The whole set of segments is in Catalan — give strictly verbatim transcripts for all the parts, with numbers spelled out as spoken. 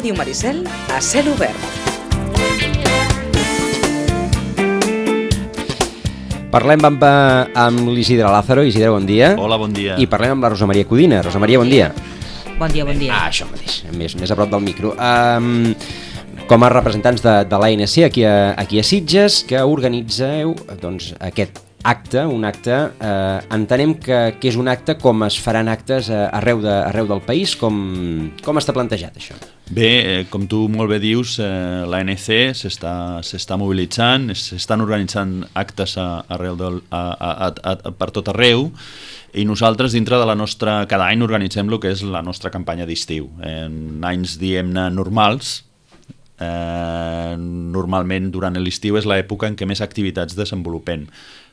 Ràdio Maricel a cel obert. Parlem amb, amb l'Isidre Lázaro. Isidre, bon dia. Hola, bon dia. I parlem amb la Rosa Maria Codina. Rosa Maria, bon dia. Bon dia, bon dia. Ah, això mateix, més, més a prop del micro. Um, com a representants de, de l'A N C aquí a, aquí a Sitges, que organitzeu doncs, aquest acte, un acte, eh, entenem que, que és un acte com es faran actes arreu, de, arreu del país, com, com està plantejat això? Bé, eh, com tu molt bé dius, eh, l'A N C s'està mobilitzant, s'estan organitzant actes a, arreu del, a, a, a, a, per tot arreu, i nosaltres dintre de la nostra, cada any organitzem el que és la nostra campanya d'estiu. En anys, diguem-ne, normals, eh, normalment durant l'estiu és l'època en què més activitats desenvolupem.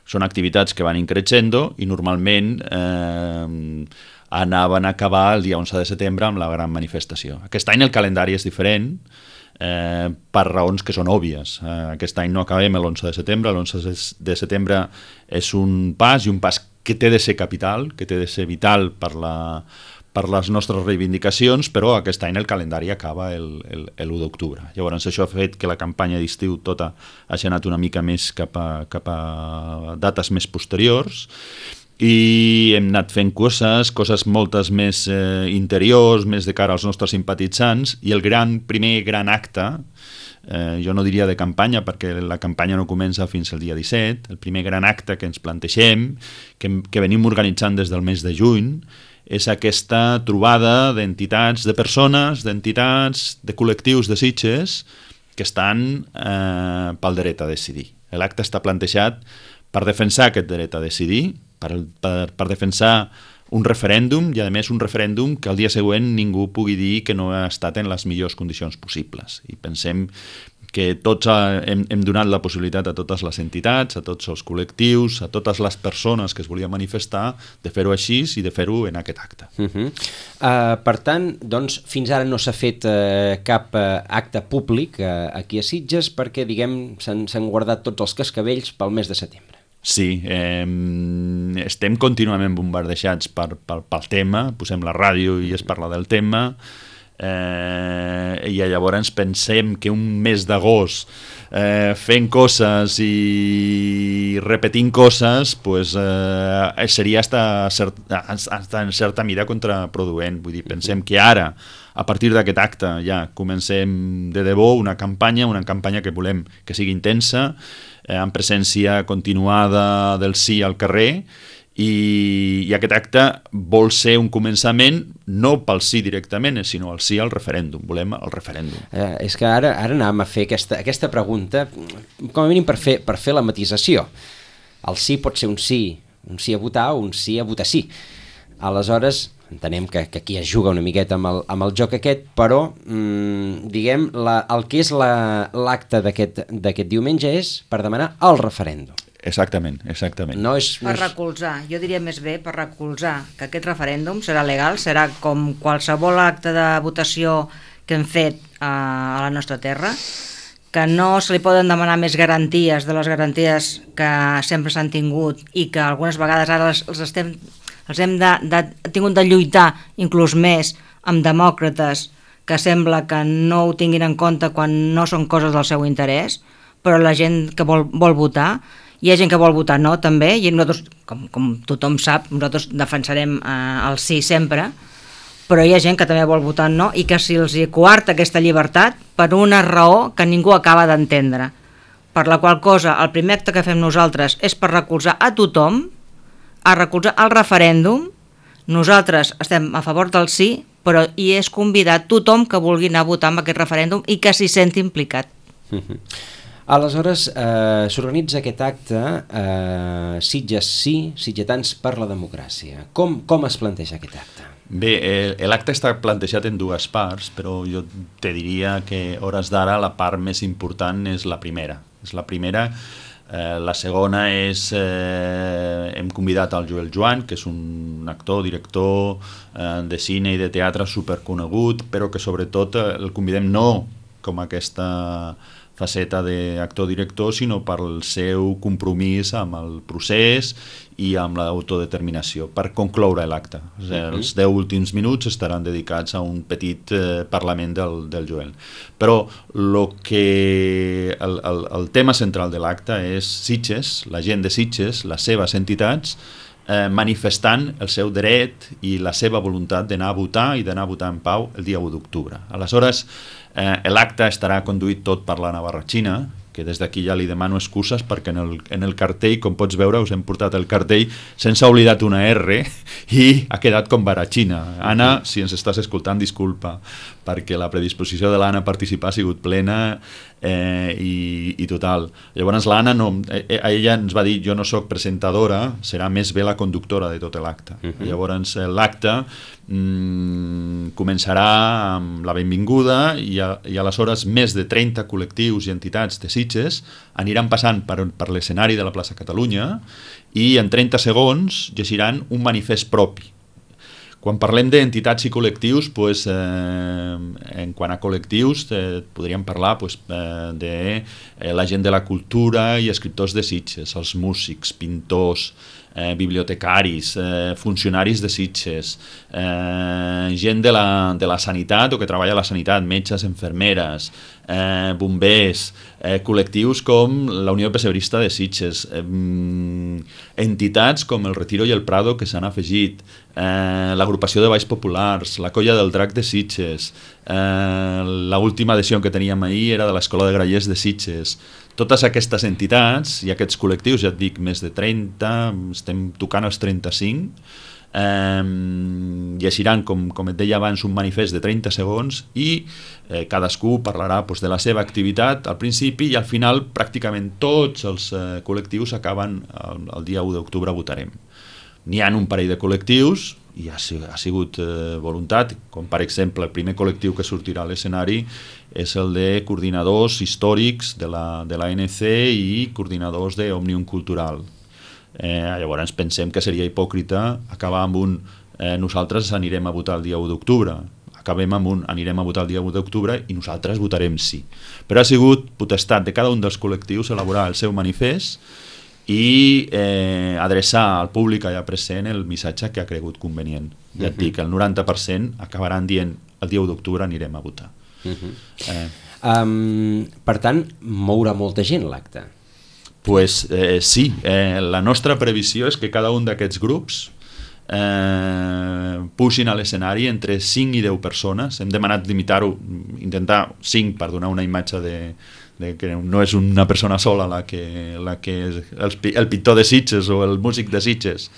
Són activitats que van increixendo i normalment eh, anaven a acabar el dia onze de setembre amb la gran manifestació. Aquest any el calendari és diferent eh, per raons que són òbvies. Eh, aquest any no acabem l'onze de setembre, l'onze de setembre és un pas i un pas que té de ser capital, que té de ser vital per la... per les nostres reivindicacions, però aquest any el calendari acaba l'u d'octubre. Llavors això ha fet que la campanya d'estiu tota hagi anat una mica més cap a, cap a dates més posteriors i hem anat fent coses, coses moltes més eh, interiors, més de cara als nostres simpatitzants, i el gran, primer gran acte, eh, jo no diria de campanya perquè la campanya no comença fins al dia disset, el primer gran acte que ens plantegem, que, que venim organitzant des del mes de juny, és aquesta trobada d'entitats, de persones, d'entitats, de col·lectius de Sitges que estan eh, pel dret a decidir. L'acte està plantejat per defensar aquest dret a decidir, per, per, per defensar un referèndum i a més un referèndum que al dia següent ningú pugui dir que no ha estat en les millors condicions possibles. I pensem que tots hem, hem donat la possibilitat a totes les entitats, a tots els col·lectius, a totes les persones que es volien manifestar, de fer-ho així i de fer-ho en aquest acte. Uh -huh. uh, per tant, doncs, fins ara no s'ha fet uh, cap uh, acte públic uh, aquí a Sitges perquè, diguem, s'han guardat tots els cascavells pel mes de setembre. Sí, eh, estem contínuament bombardejats per, per, pel tema, posem la ràdio i es parla del tema, Eh, i llavors pensem que un mes d'agost eh, fent coses i repetint coses pues, eh, seria hasta, hasta en certa mida contraproduent. Vull dir, pensem que ara a partir d'aquest acte ja comencem de debò una campanya, una campanya que volem que sigui intensa, eh, amb presència continuada del sí al carrer. I, i aquest acte vol ser un començament no pel sí directament, sinó el sí al referèndum. Volem el referèndum. Eh, és que ara, ara anàvem a fer aquesta, aquesta pregunta com a mínim per fer, per fer la matisació. El sí pot ser un sí, un sí a votar o un sí a votar sí. Aleshores, entenem que, que aquí es juga una miqueta amb el, amb el joc aquest, però mmm, diguem, la, el que és l'acte la, d'aquest diumenge és per demanar el referèndum. Exactament, exactament. No és, no és... Per recolzar, jo diria més bé per recolzar que aquest referèndum serà legal, serà com qualsevol acte de votació que hem fet a, a la nostra terra, que no se li poden demanar més garanties de les garanties que sempre s'han tingut i que algunes vegades ara els, els, estem, els hem de, de, tingut de lluitar inclús més amb demòcrates que sembla que no ho tinguin en compte quan no són coses del seu interès, però la gent que vol, vol votar, hi ha gent que vol votar no, també, i nosaltres, com, com tothom sap, nosaltres defensarem eh, el sí sempre, però hi ha gent que també vol votar no i que si els coarta aquesta llibertat per una raó que ningú acaba d'entendre. Per la qual cosa, el primer acte que fem nosaltres és per recolzar a tothom, a recolzar el referèndum. Nosaltres estem a favor del sí, però hi és convidat tothom que vulgui anar a votar amb aquest referèndum i que s'hi senti implicat. Uh-huh. Aleshores, eh, s'organitza aquest acte eh, Sitges sí, sitgetans per la democràcia. Com, com es planteja aquest acte? Bé, l'acte està plantejat en dues parts, però jo te diria que a hores d'ara la part més important és la primera. És la primera. Eh, la segona és, eh, hem convidat al Joel Joan, que és un actor, director eh, de cine i de teatre superconegut, però que sobretot eh, el convidem no com aquesta faceta d'actor-director, sinó pel seu compromís amb el procés i amb l'autodeterminació, per concloure l'acte. O sigui, uh-huh. Els deu últims minuts estaran dedicats a un petit eh, parlament del, del Joel. Però lo que, el, el, el tema central de l'acte és Sitges, la gent de Sitges, les seves entitats, eh, manifestant el seu dret i la seva voluntat d'anar a votar i d'anar a votar en pau el dia u d'octubre. Aleshores, eh, l'acte estarà conduït tot per la navarratxina, que des d'aquí ja li demano excuses perquè en el, en el cartell, com pots veure, us hem portat el cartell sense oblidat una R i ha quedat com baratxina. Anna, si ens estàs escoltant, disculpa, perquè la predisposició de l'Anna a participar ha sigut plena eh, i, i total. Llavors l'Anna, no, eh, ella ens va dir, jo no sóc presentadora, serà més bé la conductora de tot l'acte. Uh-huh. Llavors l'acte mm, començarà amb la benvinguda i, a, i aleshores més de trenta col·lectius i entitats de Sitges aniran passant per, per l'escenari de la plaça Catalunya i en trenta segons llegiran un manifest propi. Quan parlem d'entitats i col·lectius, pues, eh, en quant a col·lectius, eh, podríem parlar pues, eh, de eh, la gent de la cultura i escriptors de Sitges, els músics, pintors, eh, bibliotecaris, eh, funcionaris de Sitges, eh, gent de la, de la sanitat o que treballa a la sanitat, metges, infermeres, eh, bombers, eh, col·lectius com la Unió Pessebrista de Sitges, eh, entitats com el Retiro i el Prado que s'han afegit, eh, l'agrupació de Balls Populars, la Colla del Drac de Sitges, eh, l'última adhesió que teníem ahir era de l'Escola de Grallers de Sitges. Totes aquestes entitats i aquests col·lectius, ja et dic, més de trenta, estem tocant els trenta-cinc, eh, llegiran, com, com et deia abans, un manifest de trenta segons i eh, cadascú parlarà pues, de la seva activitat al principi i al final pràcticament tots els eh, col·lectius acaben el, el dia u d'octubre votarem. N'hi ha un parell de col·lectius i ha, ha sigut eh, voluntat, com per exemple el primer col·lectiu que sortirà a l'escenari és el de coordinadors històrics de la, de l'A N C i coordinadors d'Òmnium Cultural. Eh, llavors pensem que seria hipòcrita acabar amb un eh, nosaltres anirem a votar el dia u d'octubre, acabem amb un anirem a votar el dia u d'octubre i nosaltres votarem sí. Però ha sigut potestat de cada un dels col·lectius elaborar el seu manifest i eh, adreçar al públic allà present el missatge que ha cregut convenient. Ja et dic, el noranta per cent acabaran dient el dia u d'octubre anirem a votar. Uh-huh. eh. um, per tant, mourà molta gent l'acte? Pues, eh, sí, eh, la nostra previsió és que cada un d'aquests grups eh, puixin a l'escenari entre cinc i deu persones. Hem demanat limitar-ho, intentar cinc per donar una imatge de, de que no és una persona sola la que, la que és el, el pintor de Sitges o el músic de Sitges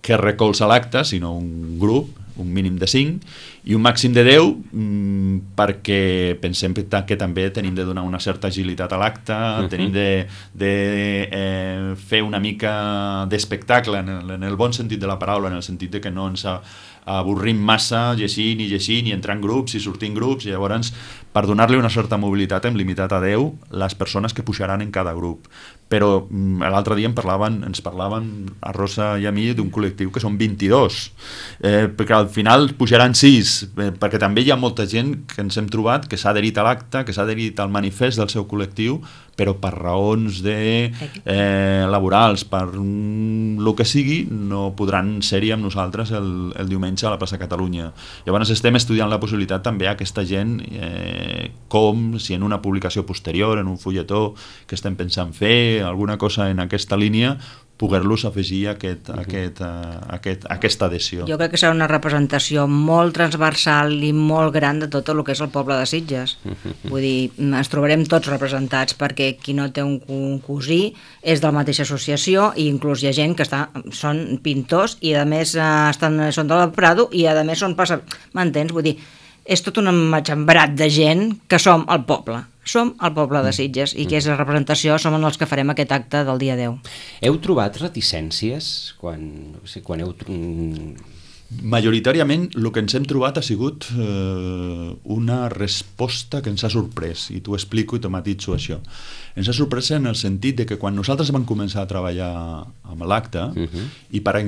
que recolza l'acte, sinó un grup, un mínim de cinc i un màxim de deu mmm, perquè pensem que, que també tenim de donar una certa agilitat a l'acte, uh-huh. tenim de, de eh, fer una mica d'espectacle en, el, en el bon sentit de la paraula, en el sentit de que no ens avorrim massa llegint i llegint i entrant grups i sortint grups i llavors per donar-li una certa mobilitat hem limitat a deu les persones que pujaran en cada grup. Però l'altre dia en parlaven, ens parlaven a Rosa i a mi d'un col·lectiu que són vint-i-dos, eh, perquè al final pujaran sis, eh, perquè també hi ha molta gent que ens hem trobat que s'ha adherit a l'acte, que s'ha adherit al manifest del seu col·lectiu, però per raons de, eh, laborals, per mm, el que sigui, no podran ser-hi amb nosaltres el, el diumenge a la plaça Catalunya. Llavors estem estudiant la possibilitat també a aquesta gent, eh, com si en una publicació posterior, en un fulletó que estem pensant fer, alguna cosa en aquesta línia, poder-los afegir aquest, uh-huh. aquest, uh, aquest, aquesta adhesió. Jo crec que serà una representació molt transversal i molt gran de tot el que és el poble de Sitges. Uh-huh. Vull dir, ens trobarem tots representats perquè qui no té un, un cosí és de la mateixa associació i inclús hi ha gent que està, són pintors i a més uh, estan, són del Prado i a més són passa... M'entens? Vull dir, és tot un matxembrat de gent que som el poble. Som el poble de Sitges i que és la representació, som els que farem aquest acte del dia deu. Heu trobat reticències quan, no sé, quan heu... Majoritàriament el que ens hem trobat ha sigut eh, una resposta que ens ha sorprès, i t'ho explico i te matitzo això. Ens ha sorprès en el sentit de que quan nosaltres vam començar a treballar amb l'acte uh-huh. i per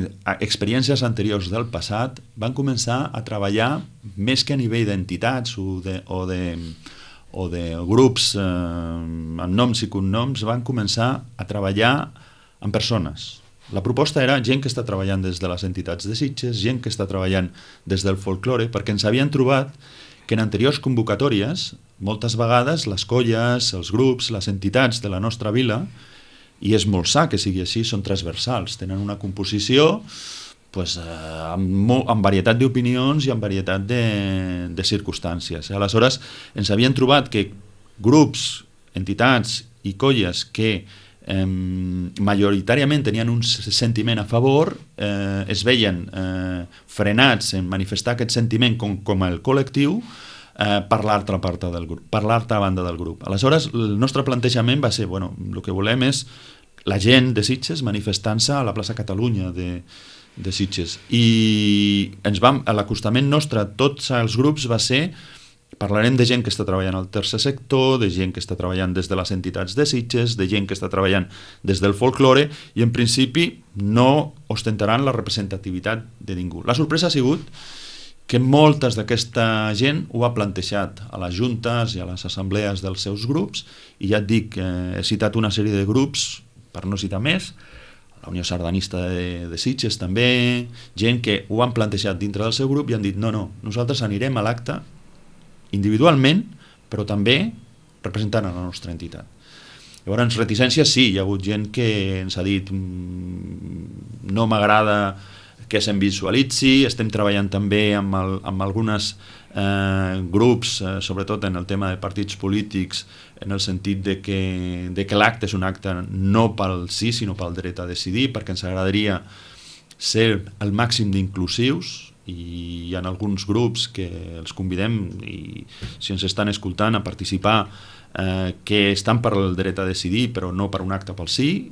experiències anteriors del passat van començar a treballar més que a nivell d'entitats o de, o de o de grups eh, amb noms i cognoms van començar a treballar amb persones. La proposta era gent que està treballant des de les entitats de Sitges, gent que està treballant des del folklore, perquè ens havien trobat que en anteriors convocatòries, moltes vegades les colles, els grups, les entitats de la nostra vila, i és molt sa que sigui així, són transversals, tenen una composició pues, eh, amb, molt, amb varietat d'opinions i amb varietat de, de circumstàncies. Aleshores, ens havien trobat que grups, entitats i colles que eh, majoritàriament tenien un sentiment a favor, eh, es veien eh, frenats en manifestar aquest sentiment com, com el col·lectiu eh, per l'altra part del grup, per l'altra banda del grup. Aleshores, el nostre plantejament va ser, bueno, el que volem és la gent de Sitges manifestant-se a la plaça Catalunya de, de Sitges. I ens vam, a l'acostament nostre a tots els grups va ser, parlarem de gent que està treballant al tercer sector, de gent que està treballant des de les entitats de Sitges, de gent que està treballant des del folklore, i en principi no ostentaran la representativitat de ningú. La sorpresa ha sigut que moltes d'aquesta gent ho ha plantejat a les juntes i a les assemblees dels seus grups, i ja et dic, eh, he citat una sèrie de grups, per no citar més, la Unió Sardanista de, de Sitges també, gent que ho han plantejat dintre del seu grup i han dit no, no, nosaltres anirem a l'acte individualment, però també representant a la nostra entitat. Llavors, reticències sí, hi ha hagut gent que ens ha dit mmm, no m'agrada que se'n visualitzi, estem treballant també amb, el, amb algunes eh, grups, eh, sobretot en el tema de partits polítics, en el sentit de que, de que l'acte és un acte no pel sí, sinó pel dret a decidir, perquè ens agradaria ser el màxim d'inclusius, i hi ha alguns grups que els convidem, i si ens estan escoltant, a participar, eh, que estan per el dret a decidir, però no per un acte pel sí.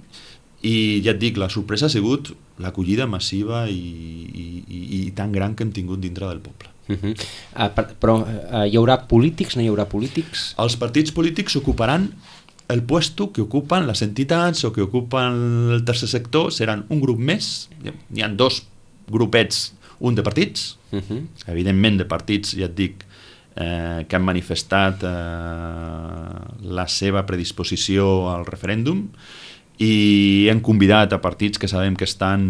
I ja et dic, la sorpresa ha sigut l'acollida massiva i, i, i, i tan gran que hem tingut dintre del poble. Uh -huh. uh, per, però uh, hi haurà polítics, no hi haurà polítics? Els partits polítics ocuparan el puesto que ocupen les entitats o que ocupen el tercer sector, seran un grup més, hi ha dos grupets, un de partits, uh -huh. evidentment de partits, ja et dic, eh, que han manifestat eh, la seva predisposició al referèndum, i hem convidat a partits que sabem que estan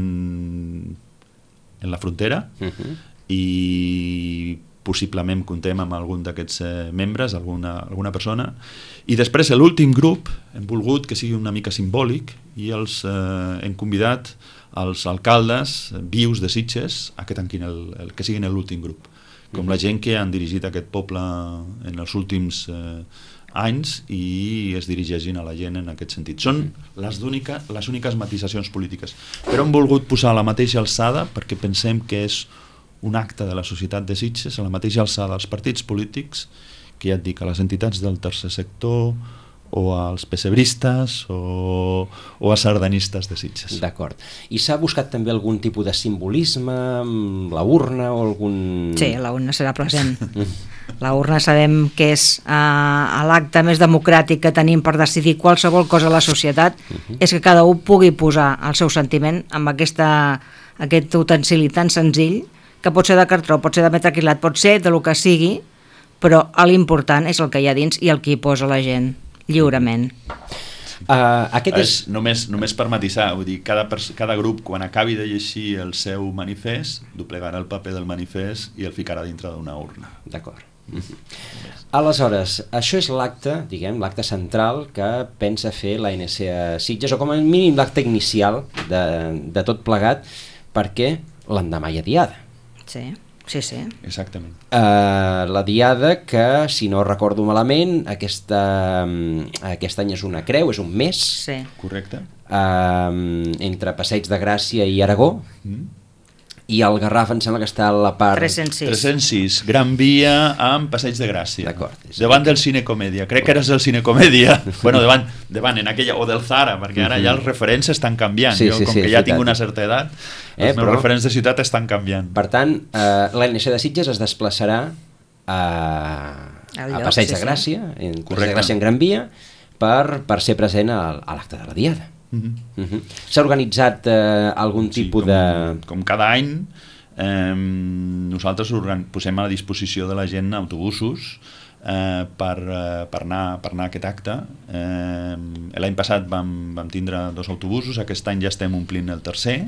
en la frontera, uh -huh. i possiblement contem amb algun d'aquests eh, membres, alguna, alguna persona, i després l'últim grup hem volgut que sigui una mica simbòlic i els eh, hem convidat els alcaldes vius de Sitges a que tanquin el, el, que siguin l'últim grup, com uh -huh. la gent que han dirigit aquest poble en els últims eh, anys i es dirigeixin a la gent en aquest sentit. Són les, única, les úniques matisacions polítiques, però hem volgut posar a la mateixa alçada perquè pensem que és un acte de la societat de Sitges, a la mateixa alçada als partits polítics, que ja et dic, a les entitats del tercer sector o als pessebristes o, o als sardanistes de Sitges. D'acord. I s'ha buscat també algun tipus de simbolisme, la urna o algun... Sí, la urna serà present. La urna sabem que és uh, l'acte més democràtic que tenim per decidir qualsevol cosa a la societat, uh-huh. és que cada un pugui posar el seu sentiment amb aquesta, aquest utensili tan senzill, que pot ser de cartró, pot ser de metacrilat, pot ser de lo que sigui, però l'important és el que hi ha dins i el que hi posa la gent, lliurement. Uh, aquest és... és només, només per matisar, vull dir, cada, cada grup quan acabi de llegir el seu manifest doblegarà el paper del manifest i el ficarà dintre d'una urna. D'acord. Aleshores, això és l'acte, diguem, l'acte central que pensa fer l'A N C a Sitges, o com a mínim l'acte inicial de, de tot plegat, perquè l'endemà hi ha diada. Sí, sí, sí. Exactament. Uh, la diada que, si no recordo malament, aquesta, aquest any és una creu, és un mes. Sí. Correcte. Uh, entre Passeig de Gràcia i Aragó. Mm. I el Garraf em sembla que està a la part... tres-cents sis. tres-cents sis, Gran Via amb Passeig de Gràcia. D'acord. Davant del Cinecomèdia. Crec que eres del Cinecomèdia. bueno, davant, davant en aquella, o del Zara, perquè ara ja els referents estan canviant. Sí, jo, sí, com sí, que ja ciutat. tinc una certa edat, Eh, els meus però... referents de ciutat estan canviant. Per tant, eh, l'A N C de Sitges es desplaçarà a, Al a lloc, Passeig sí, de sí. Gràcia, en Passeig Correcte. de Gràcia en Gran Via, per, per ser present a, a l'acte de la diada. Mm-hmm. Uh-huh. S'ha organitzat eh, algun Sí, tipus com, de... com cada any, eh, nosaltres organ... posem a la disposició de la gent autobusos eh, per, eh, per, anar, per anar a aquest acte. Eh, L'any passat vam, vam tindre dos autobusos, aquest any ja estem omplint el tercer,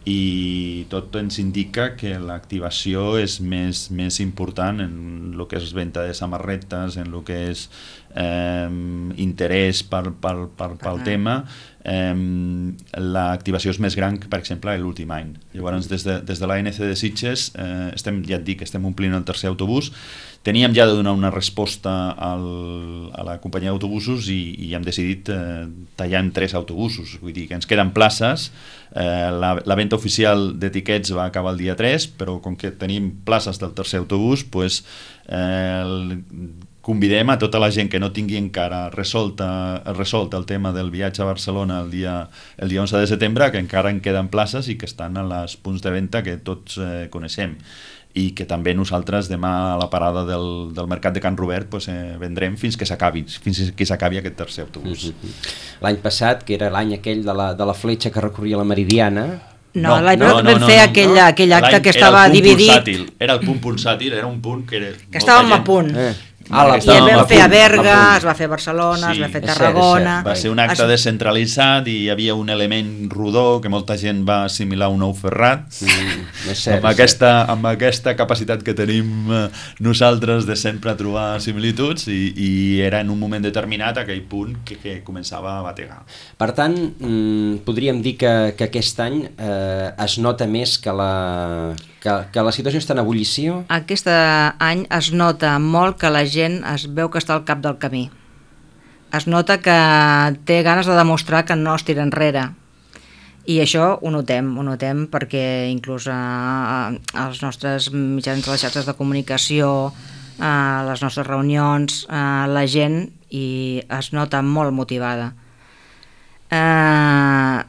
i tot ens indica que l'activació és més, més important en el que és venda de samarretes, en el que és eh, interès per, per, per, pel tema. Eh, l'activació és més gran que, per exemple, l'últim any. Llavors, des de, des de l'A N C de Sitges, eh, estem, ja et dic, estem omplint el tercer autobús. Teníem ja de donar una resposta al, a la companyia d'autobusos i, i hem decidit eh, tallar en tres autobusos. Vull dir que ens queden places. Eh, la, la venda oficial d'etiquets va acabar el dia tres, però com que tenim places del tercer autobús, pues, eh, el, convidem a tota la gent que no tingui encara resolta, resolt el tema del viatge a Barcelona el dia, el dia onze de setembre, que encara en queden places i que estan a les punts de venda que tots eh, coneixem, i que també nosaltres demà a la parada del, del mercat de Can Robert pues, eh, vendrem fins que s'acabi fins que s'acabi aquest tercer autobús. Mm-hmm. L'any passat, que era l'any aquell de la, de la fletxa que recorria la Meridiana... No, l'any no, no, vam no, fer no, aquell, no. aquell acte que estava dividit... Pulsàtil, era el punt pulsàtil, era un punt que... Era que estàvem a punt. Eh. Ah, la, I el vam fer a Berga, es va fer a Barcelona, sí, es va fer a Tarragona... Cert, va ser un acte es... descentralitzat i hi havia un element rodó que molta gent va assimilar un ou ferrat. Mm, és cert, amb, aquesta, amb aquesta capacitat que tenim nosaltres de sempre trobar similituds i, i era en un moment determinat aquell punt que, que començava a bategar. Per tant, mm, podríem dir que, que aquest any eh, es nota més que la... Que, que la situació està en ebullició? Aquest any es nota molt que la gent es veu que està al cap del camí. Es nota que té ganes de demostrar que no es tira enrere. I això ho notem, ho notem perquè inclús a, als nostres mitjans de les xarxes de comunicació, a les nostres reunions, a la gent i es nota molt motivada. Eh...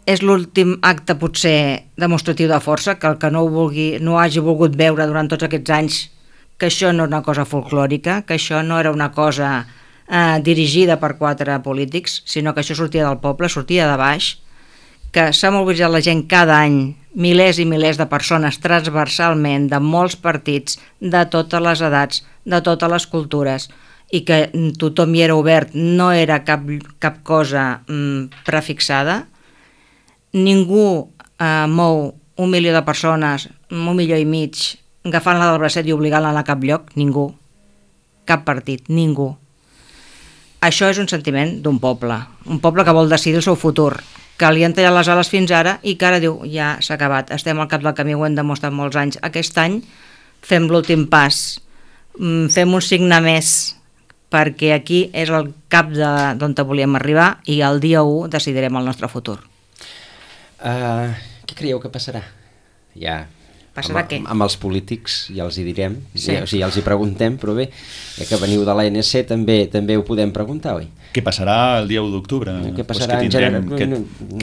És l'últim acte potser demostratiu de força, que el que no ho vulgui, no hagi volgut veure durant tots aquests anys que això no és una cosa folclòrica, que això no era una cosa eh, dirigida per quatre polítics, sinó que això sortia del poble, sortia de baix, que s'ha mobilitzat la gent cada any, milers i milers de persones transversalment, de molts partits, de totes les edats, de totes les cultures, i que tothom hi era obert, no era cap, cap cosa mm, prefixada. Ningú eh, mou un milió de persones, un milió i mig, agafant-la del bracet i obligant-la a anar a cap lloc, ningú. Cap partit, ningú. Això és un sentiment d'un poble, un poble que vol decidir el seu futur, que li han tallat les ales fins ara i que ara diu, ja s'ha acabat, estem al cap del camí, ho hem demostrat molts anys. Aquest any fem l'últim pas, fem un signe més, perquè aquí és el cap d'on volíem arribar i el dia u decidirem el nostre futur. Uh, què creieu que passarà? Ja, passarà amb, què? amb els polítics ja els hi direm, sí. ja, o sigui, ja els hi preguntem, però bé, ja que veniu de l'A N C també també ho podem preguntar, oi? Què passarà el dia u d'octubre? Què passarà pues que en general? Que,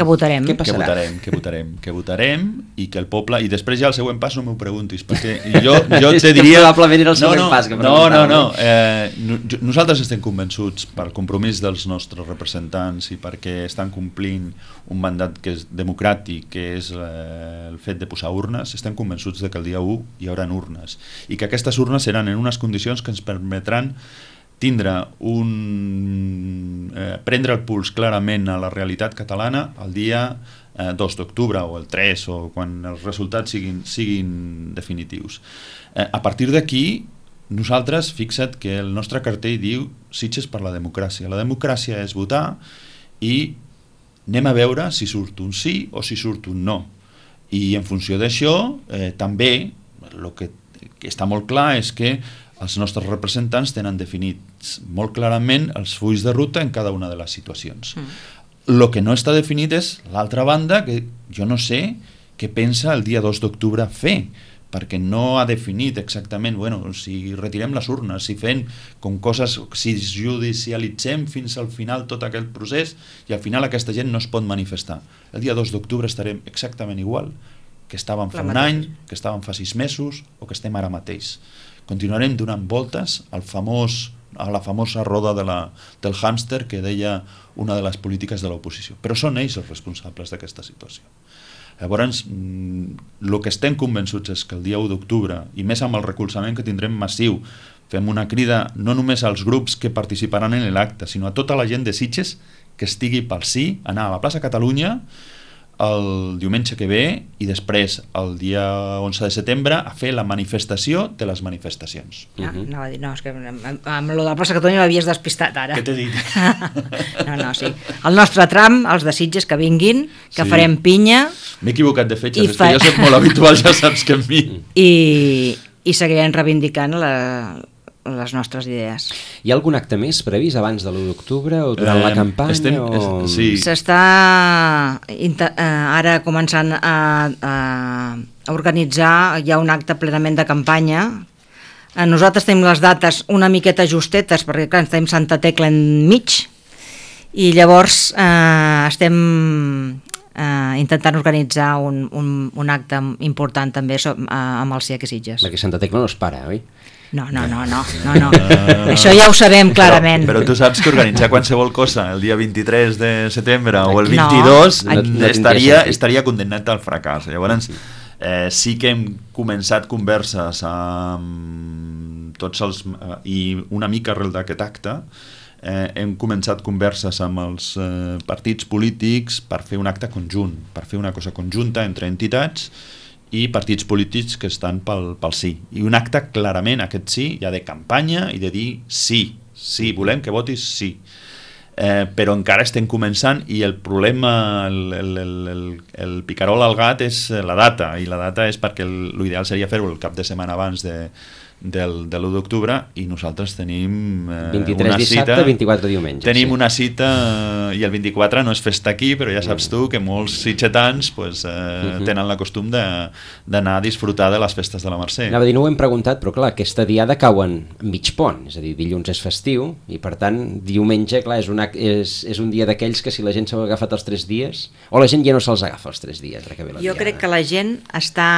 que votarem. Què que votarem, que votarem, que votarem i que el poble... I després ja el següent pas no m'ho preguntis, perquè jo, jo te diria... Probablement era el següent no, no, pas que no, no, no. Eh, no, nosaltres estem convençuts pel compromís dels nostres representants i perquè estan complint un mandat que és democràtic, que és eh, el fet de posar urnes, estem convençuts de que el dia u hi haurà urnes i que aquestes urnes seran en unes condicions que ens permetran tindre un... Eh, prendre el puls clarament a la realitat catalana el dia eh, dos d'octubre o el tres o quan els resultats siguin, siguin definitius. Eh, a partir d'aquí, nosaltres, fixa't que el nostre cartell diu Sitges per la democràcia. La democràcia és votar i anem a veure si surt un sí o si surt un no. I en funció d'això, eh, també, el que, que està molt clar és que els nostres representants tenen definits molt clarament els fulls de ruta en cada una de les situacions. Mm. El que no està definit és l'altra banda, que jo no sé què pensa el dia dos d'octubre fer, perquè no ha definit exactament, bueno, si retirem les urnes, si fem com coses, si judicialitzem fins al final tot aquest procés i al final aquesta gent no es pot manifestar. El dia dos d'octubre estarem exactament igual que estàvem fa un any, que estàvem fa sis mesos o que estem ara mateix. Continuarem donant voltes al famós, a la famosa roda de la, del hàmster que deia una de les polítiques de l'oposició. Però són ells els responsables d'aquesta situació. Llavors, el que estem convençuts és que el dia u d'octubre, i més amb el recolzament que tindrem massiu fem una crida no només als grups que participaran en l'acte, sinó a tota la gent de Sitges que estigui pel sí, anar a la plaça Catalunya el diumenge que ve i després el dia onze de setembre a fer la manifestació de les manifestacions. Ja, uh-huh. no, no, és que amb, amb lo de la plaça Catalunya m'havies despistat ara. Què t'he dit? no, no, sí. El nostre tram, els de Sitges que vinguin, que sí. farem pinya. M'he equivocat de fetges, és fa... que jo soc molt habitual, ja saps que en mi. I, i seguirem reivindicant la, les nostres idees. Hi ha algun acte més previst abans de l'u d'octubre o durant eh, la campanya? Estem, o... es, sí. S'està eh, ara començant a, a organitzar ja un acte plenament de campanya. Eh, nosaltres tenim les dates una miqueta justetes perquè clar, tenim Santa Tecla enmig i llavors eh, estem eh, intentant organitzar un, un, un acte important també so, eh, amb el C I A C Sitges. Perquè Santa Tecla no es para, oi? No, no, no, no, no, no. Uh, això ja ho sabem clarament. Però, però tu saps que organitzar qualsevol cosa el dia vint-i-tres de setembre o el vint-i-dos no, no, estaria, estaria condemnat al fracàs. Llavors eh, sí que hem començat converses amb tots els eh, i una mica arrel d'aquest acte eh, hem començat converses amb els eh, partits polítics per fer un acte conjunt, per fer una cosa conjunta entre entitats i partits polítics que estan pel, pel sí. I un acte clarament, aquest sí, ja de campanya i de dir sí, sí, volem que votis sí. Eh, però encara estem començant i el problema, el, el, el, el, el picarol al gat és la data, i la data és perquè l'ideal seria fer-ho el cap de setmana abans de, del, de l'u d'octubre i nosaltres tenim eh, vint-i-tres una dissabte, cita, vint-i-quatre diumenge. Tenim sí. una cita i el vint-i-quatre no és festa aquí, però ja saps tu que molts sitgetans pues, eh, uh-huh. tenen la costum d'anar a disfrutar de les festes de la Mercè. Anava a dir, no ho hem preguntat, però clar, aquesta diada cauen mig pont, és a dir, dilluns és festiu i per tant diumenge, clar, és un, és, és un dia d'aquells que si la gent s'ha agafat els tres dies, o la gent ja no se'ls agafa els tres dies. Que ve la jo diada. crec que la gent està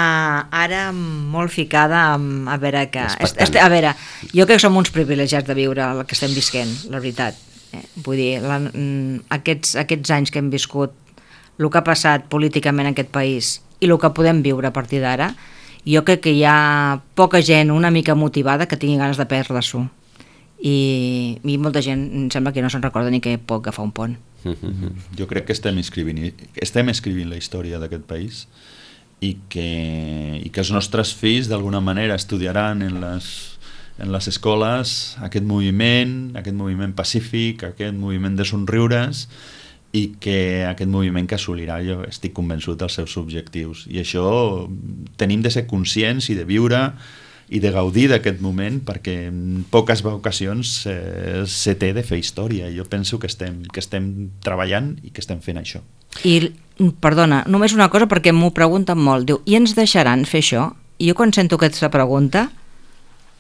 ara molt ficada amb, a veure que... Est, est, a veure, jo crec que som uns privilegiats de viure el que estem visquent, la veritat. Eh, vull dir, la, aquests, aquests anys que hem viscut, el que ha passat políticament en aquest país i el que podem viure a partir d'ara, jo crec que hi ha poca gent una mica motivada que tingui ganes de perdre-s'ho. I, I molta gent em sembla que no se'n recorda ni que pot agafar un pont. Mm-hmm. Jo crec que estem escrivint, estem escrivint la història d'aquest país i que, i que els nostres fills d'alguna manera estudiaran en les, en les escoles aquest moviment, aquest moviment pacífic, aquest moviment de somriures i que aquest moviment que assolirà, jo estic convençut dels seus objectius. I això tenim de ser conscients i de viure i de gaudir d'aquest moment perquè en poques ocasions eh, se té de fer història. Jo penso que estem, que estem treballant i que estem fent això. I, perdona, només una cosa perquè m'ho pregunten molt, diu, i ens deixaran fer això? I jo quan sento aquesta pregunta,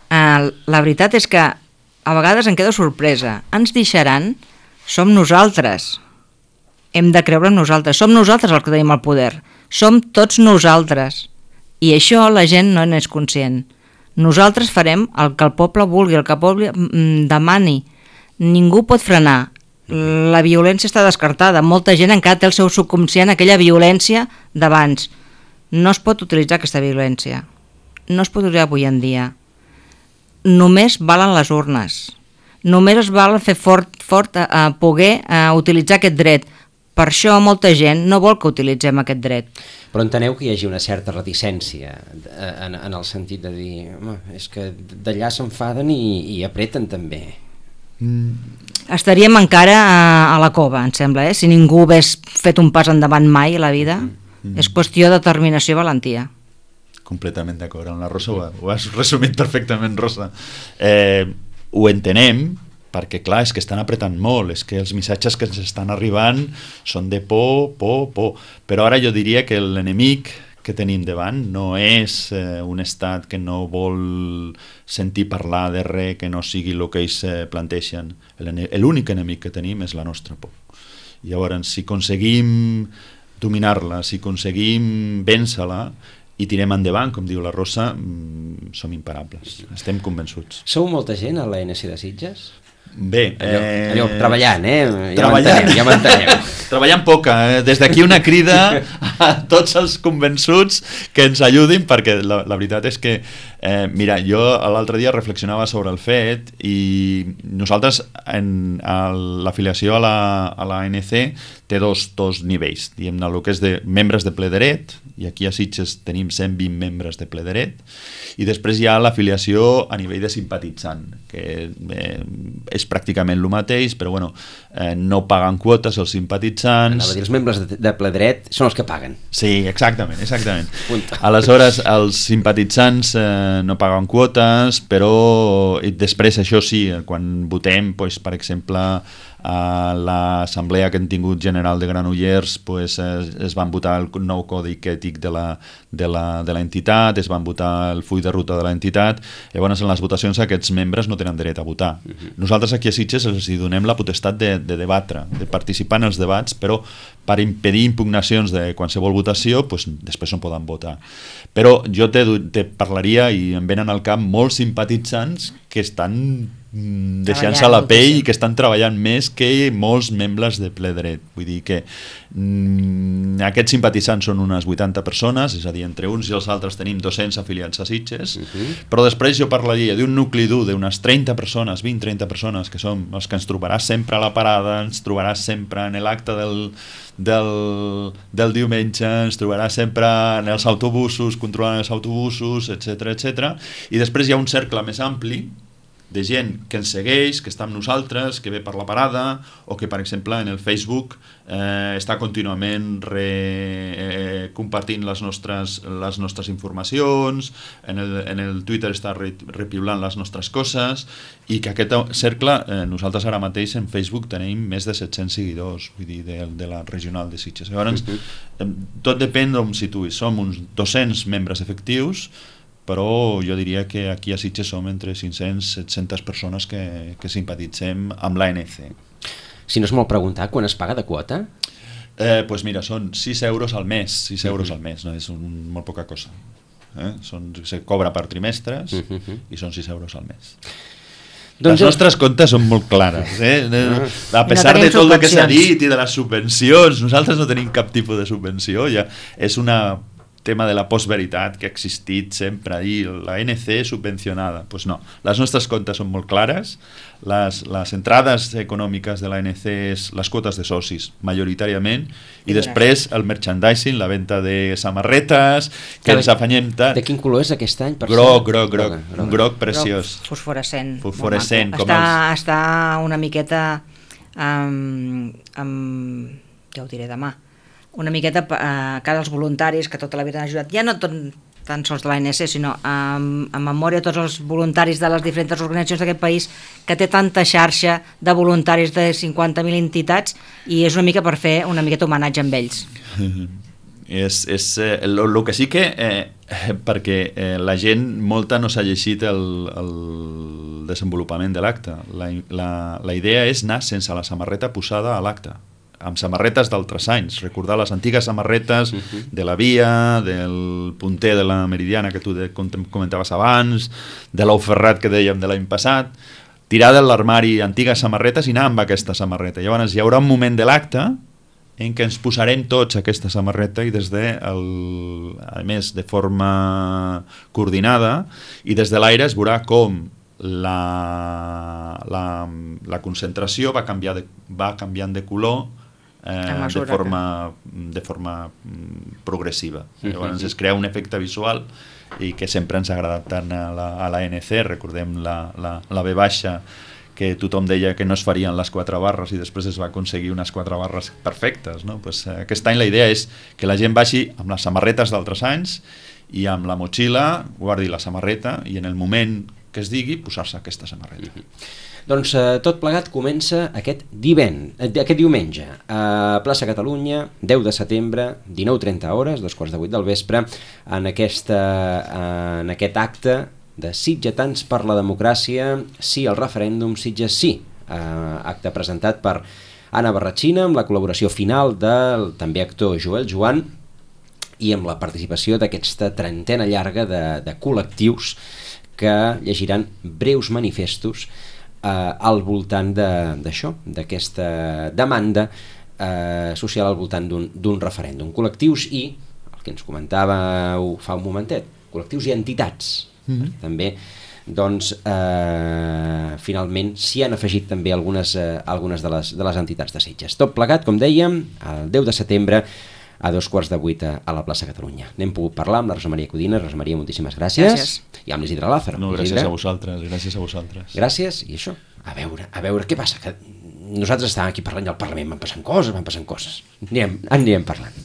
eh, la veritat és que a vegades em quedo sorpresa. Ens deixaran? Som nosaltres. Hem de creure en nosaltres. Som nosaltres els que tenim el poder. Som tots nosaltres. I això la gent no n'és conscient. Nosaltres farem el que el poble vulgui, el que el poble demani. Ningú pot frenar. La violència està descartada. Molta gent encara té el seu subconscient aquella violència d'abans. No es pot utilitzar aquesta violència. No es pot utilitzar avui en dia. Només valen les urnes. Només es val fer fort, fort a, a poder a utilitzar aquest dret. Per això molta gent no vol que utilitzem aquest dret. Però enteneu que hi hagi una certa reticència en, en el sentit de dir home, és que d'allà s'enfaden i, i apreten també. Mm. Estaríem encara a, a la cova, em sembla, eh? Si ningú hagués fet un pas endavant mai a la vida. Mm. És qüestió de determinació i valentia. Completament d'acord, amb la Rosa ho, ho has resumit perfectament, Rosa. Eh, ho entenem, perquè clar, és que estan apretant molt, és que els missatges que ens estan arribant són de por, por, por, però ara jo diria que l'enemic que tenim davant no és eh, un estat que no vol sentir parlar de res que no sigui el que ells eh, planteixen. L'únic enemic que tenim és la nostra por. Llavors, si aconseguim dominar-la, si aconseguim vèncer-la i tirem endavant, com diu la Rosa, som imparables, estem convençuts. Sou molta gent a l'A N C de Sitges? Bé, allò, eh... allò treballant, eh? Ja treballant. m'enteneu, ja m'enteneu. treballant poca, eh? Des d'aquí una crida a tots els convençuts que ens ajudin, perquè la, la veritat és que eh, mira, jo l'altre dia reflexionava sobre el fet i nosaltres en l'afiliació a la, a la A N C té dos, dos nivells, diguem-ne, el que és de membres de ple dret, i aquí a Sitges tenim cent vint membres de ple dret, i després hi ha l'afiliació a nivell de simpatitzant, que eh, és pràcticament el mateix, però bueno, eh, no paguen quotes els simpatitzants. Anava a dir, els membres de, de ple dret són els que paguen. Sí, exactament, exactament. Punto. Aleshores, els simpatitzants eh, no paguen quotes, però i després això sí, quan votem, pues, per exemple, a l'assemblea que hem tingut general de Granollers, pues, es, es van votar el nou codi ètic de la, de la, de l'entitat, es van votar el full de ruta de l'entitat. Llavors en les votacions aquests membres no tenen dret a votar. Uh-huh. Nosaltres aquí a Sitges els donem la potestat de, de debatre, de participar en els debats, però per impedir impugnacions de qualsevol votació, pues, després no poden votar. Però jo te, te parlaria, i em venen al cap molts simpatitzants que estan deixant-se la pell i que estan treballant més que molts membres de ple dret. Vull dir que mm, aquests simpatitzants són unes vuitanta persones, és a dir, entre uns i els altres tenim dos-cents afiliats a Sitges, uh-huh. Però després jo parlaria d'un nucli dur d'unes trenta persones, vint a trenta persones, que són els que ens trobaràs sempre a la parada, ens trobaràs sempre en l'acte del, del, del diumenge, ens trobaràs sempre en els autobusos, controlant els autobusos, etcètera, etcètera. I després hi ha un cercle més ampli de gent que ens segueix, que està amb nosaltres, que ve per la parada, o que, per exemple, en el Facebook eh, està contínuament re, eh, compartint les nostres, les nostres informacions, en el, en el Twitter està re, repiulant les nostres coses, i que aquest cercle, eh, nosaltres ara mateix en Facebook tenim més de set-cents seguidors, vull dir, de, de la regional de Sitges. Llavors, eh, tot depèn d'on situïs. Som uns dos-cents membres efectius, però jo diria que aquí a Sitges som entre cinc-cents a set-centes persones que, que simpatitzem amb l'A N C. Si no és molt preguntar, quan es paga de quota? Eh, pues mira, són sis euros al mes, sis euros al mes, no és un, molt poca cosa. Eh? Són, se cobra per trimestres uh-huh. i són sis euros al mes. Doncs les nostres comptes són molt clares, eh? A pesar no de tot el que s'ha dit i de les subvencions, nosaltres no tenim cap tipus de subvenció, ja és una tema de la postveritat que ha existit sempre, i la A N C subvencionada. Pues no, les nostres comptes són molt clares, les, les entrades econòmiques de l'A N C és les quotes de socis, majoritàriament, i després el merchandising, la venda de samarretes, que ens afanyem tant. De quin color és aquest any? Per groc, groc, groc, groc, un groc preciós. Groc fosforescent. Fosforescent. Com està, els... està una miqueta, um, um, ja ho diré demà, una miqueta a cada dels voluntaris que tota la vida han ajudat, ja no tot, tan sols de l'A N C, sinó en, en memòria a tots els voluntaris de les diferents organitzacions d'aquest país, que té tanta xarxa de voluntaris de cinquanta mil entitats, i és una mica per fer una miqueta homenatge amb ells. És, és eh, el, el que sí que eh, perquè eh, la gent molta no s'ha llegit el, el desenvolupament de l'acte. La, la, la idea és anar sense la samarreta posada a l'acte, amb samarretes d'altres anys, recordar les antigues samarretes uh-huh. de la Via, del punter de la Meridiana que tu comentaves abans, de l'Ou Ferrat que dèiem de l'any passat, tirar de l'armari antigues samarretes i anar amb aquesta samarreta. Llavors hi haurà un moment de l'acte en què ens posarem tots aquesta samarreta, i des de el, a més de forma coordinada, i des de l'aire es veurà com la, la, la concentració va, canviar de, va canviant de color Eh, de forma, de forma progressiva. Llavors es crea un efecte visual i que sempre ens ha agradat tant a la, a l'A N C. Recordem la, la, la V baixa, que tothom deia que no es farien les quatre barres i després es va aconseguir unes quatre barres perfectes, no? Pues, eh, aquest any la idea és que la gent vagi amb les samarretes d'altres anys i amb la motxilla guardi la samarreta i en el moment que es digui posar-se aquesta samarreta. Mm-hmm. Doncs eh, tot plegat comença aquest, diven, eh, aquest diumenge a Plaça Catalunya, deu de setembre, dinou trenta hores, dos quarts de vuit del vespre, en, aquesta, eh, en aquest acte de Sitgetans per la democràcia, sí al referèndum, Sitges sí, eh, acte presentat per Anna Barratxina, amb la col·laboració final del també actor Joel Joan i amb la participació d'aquesta trentena llarga de, de col·lectius que llegiran breus manifestos eh, al voltant d'això, d'aquesta demanda eh, social al voltant d'un referèndum. Col·lectius i, el que ens comentàveu fa un momentet, col·lectius i entitats. Mm-hmm. També, doncs, eh, finalment s'hi han afegit també algunes, eh, algunes de, les, de les entitats de Sitges. Tot plegat, com dèiem, el deu de setembre, a dos quarts de vuit a la plaça Catalunya. N'hem pogut parlar amb la Rosa Maria Codina. Rosa Maria, moltíssimes gràcies. Gràcies. I amb l'Isidre Lázaro. No, gràcies Isidre. a vosaltres, gràcies a vosaltres. Gràcies, i això, a veure, a veure, què passa? Que nosaltres estàvem aquí parlant i al Parlament van passant coses, van passant coses. Anirem, anirem parlant.